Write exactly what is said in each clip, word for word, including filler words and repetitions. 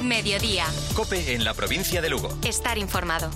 Mediodía. COPE en la provincia de Lugo. Estar informado.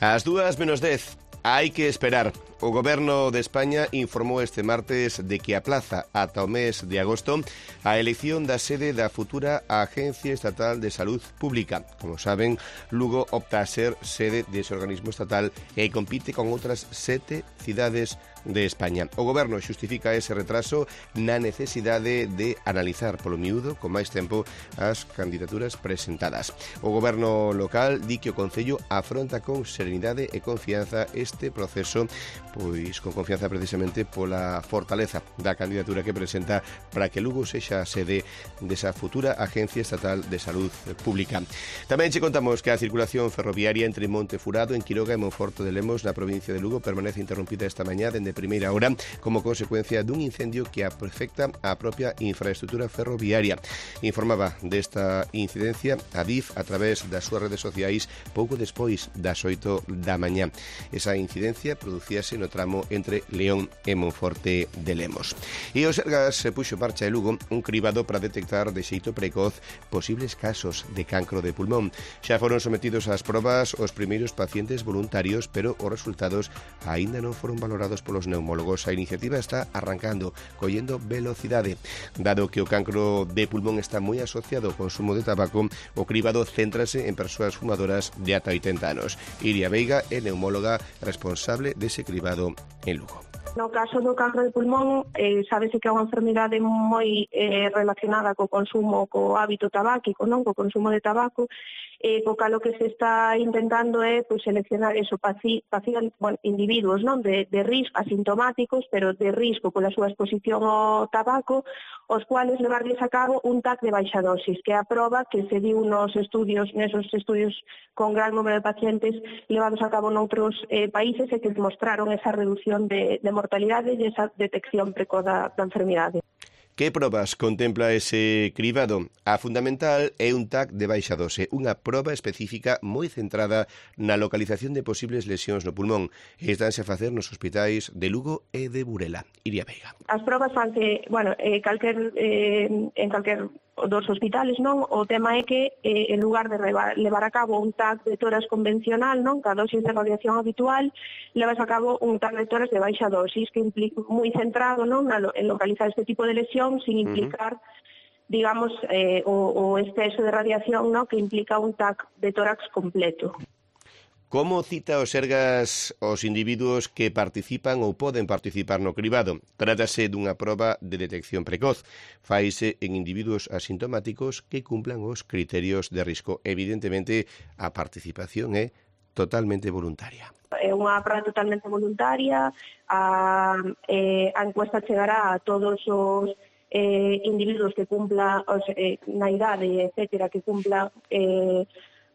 Ás dúas menos dez, hai que esperar. O Goberno de España informou este martes de que aplaza ata o mes de agosto a elección da sede da futura Agencia Estatal de Salud Pública. Como saben, Lugo opta a ser sede dese organismo estatal e compite con outras sete cidades de España. O Goberno xustifica ese retraso na necesidade de analizar polo miúdo con máis tempo as candidaturas presentadas. O Goberno local di que o Concello afronta con serenidade e confianza este proceso, pois con confianza precisamente pola fortaleza da candidatura que presenta para que Lugo sexa a sede desa futura Agencia Estatal de Salud Pública. Tamén che contamos que a circulación ferroviaria entre Montefurado, en Quiroga e Monforte de Lemos na provincia de Lugo permanece interrompida esta mañá dende primeira hora como consecuencia dun incendio que afecta a propia infraestructura ferroviaria. Informaba desta incidencia a D I F a través das súas redes sociais pouco despois das oito da mañá. Esa incidencia producíase no tramo entre León e Monforte de Lemos. E o Sergas se puxo en marcha de Lugo un cribado para detectar de xeito precoz posibles casos de cancro de pulmón. Xa foron sometidos ás probas os primeiros pacientes voluntarios, pero os resultados aínda non foron valorados polos neumólogos. A iniciativa está arrancando, collendo velocidade. Dado que o cancro de pulmón está moi asociado ao consumo de tabaco, o cribado céntrase en persoas fumadoras de ata oitenta anos. Iria Veiga é neumóloga responsable dese cribado en Lugo. No caso do cancro de pulmón, eh, sábese que é unha enfermidade moi eh, relacionada co consumo, co hábito tabáquico, non, co consumo de tabaco, eh, co calo que se está intentando é pues, seleccionar eso, paci, paci, bueno, individuos non de, de risco, asintomáticos, pero de risco pola súa exposición ao tabaco, os cuales levarles a cabo un T A C de baixa dosis, que é a proba que se diu nos estudios, nesos estudios con gran número de pacientes levados a cabo noutros eh, países e que demostraron esa reducción de, de mortalidade e esa detección precoz da, da enfermidade. Que probas contempla ese cribado? A fundamental é un T A C de baixa dose, unha proba específica moi centrada na localización de posibles lesións no pulmón. Estanse a facer nos hospitais de Lugo e de Burela. Iria Veiga. As probas fanse, bueno, eh, calquer, eh, en calquer dos hospitales, non? O tema é que eh, en lugar de levar, levar a cabo un T A C de toras convencional, non? Ca dosis de radiación habitual, levas a cabo un T A C de toras de baixa dosis, que implica moi centrado, non? En localizar este tipo de lesión sin implicar, uh-huh. digamos, eh, o, o exceso de radiación, ¿no? Que implica un T A C de tórax completo. Como cita o Sergas os individuos que participan ou poden participar no cribado? Trátase dunha proba de detección precoz. Faise en individuos asintomáticos que cumplan os criterios de risco. Evidentemente, a participación é totalmente voluntaria. É unha proba totalmente voluntaria. A, eh, a encuesta chegará a todos os eh, individuos que cumplan os, eh, na idade, etcétera, que cumplan eh,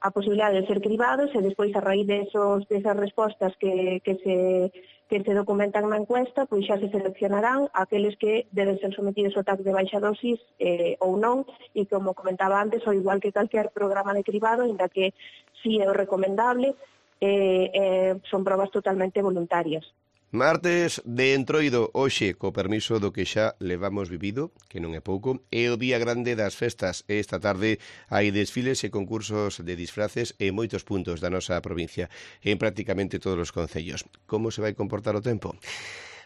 a posibilidade de ser cribados e despois a raíz de esos, desas respostas que, que, se, que se documentan na encuesta, pois xa se seleccionarán aqueles que deben ser sometidos ao T A C de baixa dosis eh, ou non, e como comentaba antes, ou igual que calquer programa de cribado, ainda que si é o recomendable, eh, eh, son probas totalmente voluntarias. Martes de Entroido, hoxe, co permiso do que xa levamos vivido, que non é pouco, é o día grande das festas. Esta tarde hai desfiles e concursos de disfraces en moitos puntos da nosa provincia, en prácticamente todos os concellos. Como se vai comportar o tempo?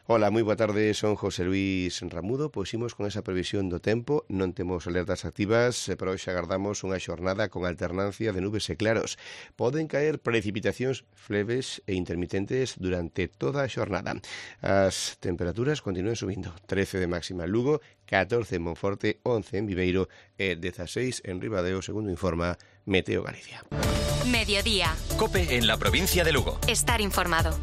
Hola, moi boa tarde, son José Luis Ramudo. Pois imos con esa previsión do tempo. Non temos alertas activas, pero hoxe agardamos unha xornada con alternancia de nubes e claros. Poden caer precipitacións leves e intermitentes durante toda a xornada. As temperaturas continúan subindo. trece de máxima en Lugo, catorce en Monforte, once en Viveiro e dezaseis en Ribadeo, segundo informa Meteo Galicia. Mediodía. COPE en la provincia de Lugo. Estar informado.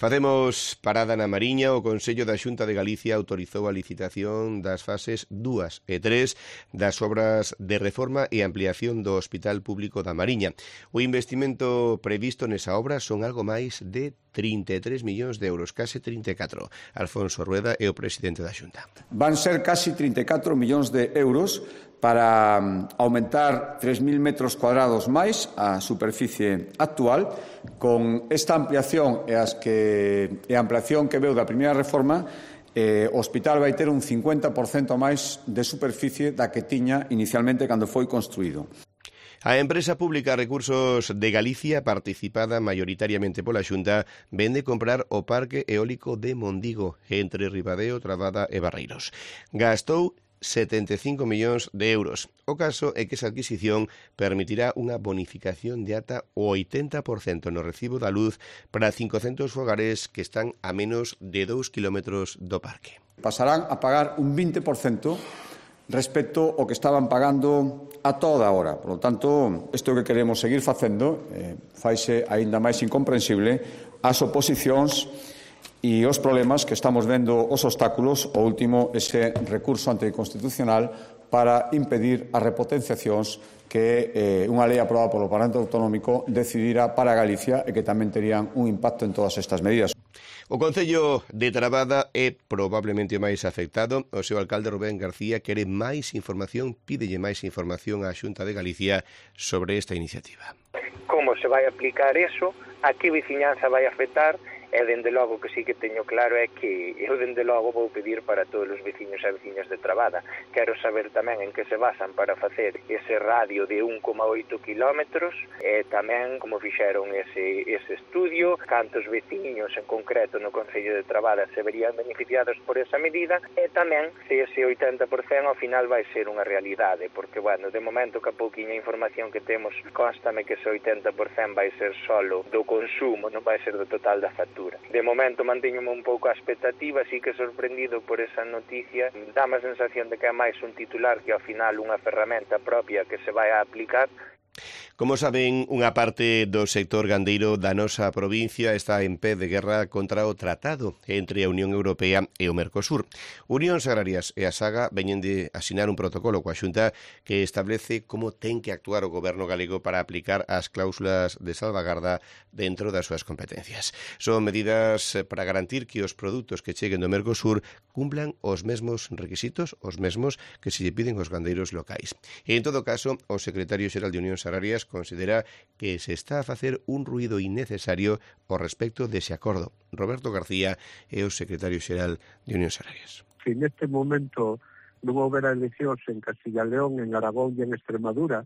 Facemos parada na Mariña. O Consello da Xunta de Galicia autorizou a licitación das fases dúas e tres das obras de reforma e ampliación do Hospital Público da Mariña. O investimento previsto nesa obra son algo máis de trinta e tres millóns de euros, case trinta e catro. Alfonso Rueda é o presidente da Xunta. Van ser casi trinta e catro millóns de euros para aumentar tres mil metros cuadrados máis a superficie actual. Con esta ampliación e, as que, e a ampliación que veu da primeira reforma, eh, o hospital vai ter un cincuenta por cento máis de superficie da que tiña inicialmente cando foi construído. A empresa pública Recursos de Galicia, participada maioritariamente pola Xunta, vende comprar o parque eólico de Mondigo, entre Ribadeo, Trabada e Barreiros. Gastou setenta e cinco millóns de euros. O caso é que esa adquisición permitirá unha bonificación de ata o oitenta por cento no recibo da luz para cincocentos fogares que están a menos de dous kilómetros do parque. Pasarán a pagar un vinte por cento respecto ao que estaban pagando a toda hora. Por lo tanto, isto que queremos seguir facendo eh, faise aínda máis incomprensible as oposicións e os problemas que estamos vendo, os obstáculos, o último, ese recurso anticonstitucional para impedir as repotenciacións que eh, unha lei aprobada polo Parlamento Autonómico decidira para Galicia e que tamén terían un impacto en todas estas medidas. O Concello de Trabada é probablemente máis afectado. O seu alcalde Rubén García quere máis información, pídelle máis información á Xunta de Galicia sobre esta iniciativa. Como se vai aplicar eso, a que veciñanza vai afectar? E, dende logo, que sí que teño claro é que eu, dende logo, vou pedir para todos os veciños e veciñas de Trabada. Quero saber tamén en que se basan para facer ese radio de un coma oito kilómetros e tamén como fixeron ese, ese estudio, cantos veciños en concreto no Concello de Trabada se verían beneficiados por esa medida e tamén se ese oitenta por cento ao final vai ser unha realidade, porque, bueno, de momento que a pouquiña información que temos constame que ese oitenta por cento vai ser solo do consumo, non vai ser do total da factura. De momento manteñome un pouco a expectativa, así que sorprendido por esa noticia. Dá a sensación de que é máis un titular que ao final unha ferramenta propia que se vai a aplicar. Como saben, unha parte do sector gandeiro da nosa provincia está en pé de guerra contra o tratado entre a Unión Europea e o Mercosur. Unións Agrarias e a Saga veñen de asinar un protocolo coa Xunta que establece como ten que actuar o goberno galego para aplicar as cláusulas de salvagarda dentro das súas competencias. Son medidas para garantir que os produtos que cheguen do Mercosur cumplan os mesmos requisitos, os mesmos que se lle piden aos gandeiros locais. E, en todo caso, o secretario xeral de Unións Agrarias considera que se está a facer un ruído innecesario ao respecto dese acordo. Roberto García é o secretario xeral de Unións Agrarias. Se neste momento non houbera eleccións en Castilla e León, en Aragón e en Extremadura,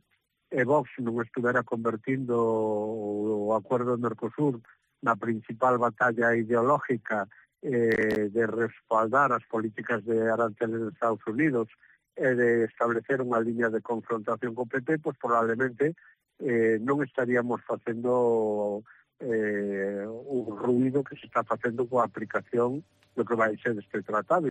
e Vox non estuvera convertindo o acordo do Mercosur na principal batalla ideológica eh, de respaldar as políticas de aranceles de Estados Unidos e de establecer unha liña de confrontación co P P, pois probablemente eh, non estaríamos facendo eh, un ruído que se está facendo coa aplicación do que vai ser este tratado.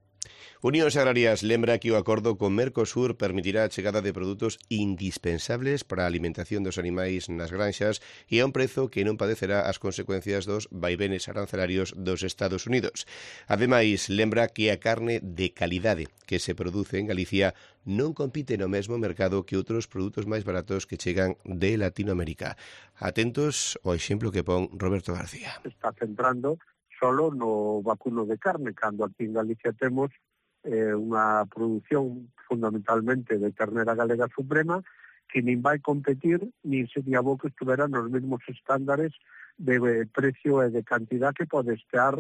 Unións Agrarias lembra que o acordo con Mercosur permitirá a chegada de produtos indispensables para a alimentación dos animais nas granxas e a un prezo que non padecerá as consecuencias dos vaivenes arancelarios dos Estados Unidos. Ademais, lembra que a carne de calidade que se produce en Galicia non compite no mesmo mercado que outros produtos máis baratos que chegan de Latinoamérica. Atentos ao exemplo que pon Roberto García. Está centrando solo no vacuno de carne, cando aquí en Galicia temos eh, unha produción fundamentalmente de ternera galega suprema que nin vai competir, nin sería bo que estuvera nos mesmos estándares de precio e de cantidad que pode estar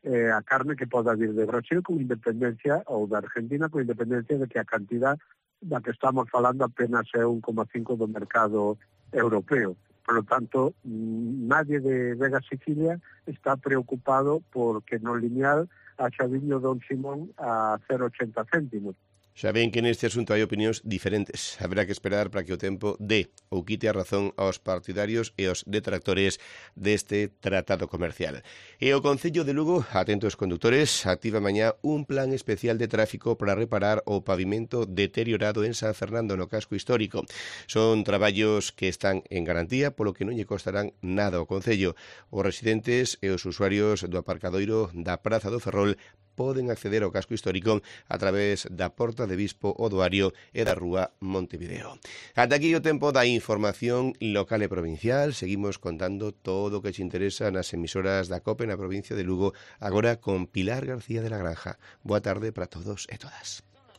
eh, a carne que poda vir de Brasil con independencia, ou de Argentina con independencia de que a cantidad da que estamos falando apenas é un coma cinco do mercado europeo. Por lo tanto, nadie de Vega Sicilia está preocupado porque no lineal haxa viño Don Simón a cero coma ochenta céntimos. Xa ven que neste asunto hai opinións diferentes. Haberá que esperar para que o tempo dé ou quite a razón aos partidarios e aos detractores deste tratado comercial. E o Concello de Lugo, atentos condutores, activa mañá un plan especial de tráfico para reparar o pavimento deteriorado en San Fernando no casco histórico. Son traballos que están en garantía, polo que non lle costarán nada ao Concello. Os residentes e os usuarios do aparcadoiro da Praza do Ferrol poden acceder ao casco histórico a través da Porta de Bispo Odoario e da Rúa Montevideo. Ata aquí o tempo da información local e provincial. Seguimos contando todo o que te interesa nas emisoras da COPE na provincia de Lugo, agora con Pilar García de la Granja. Boa tarde para todos e todas.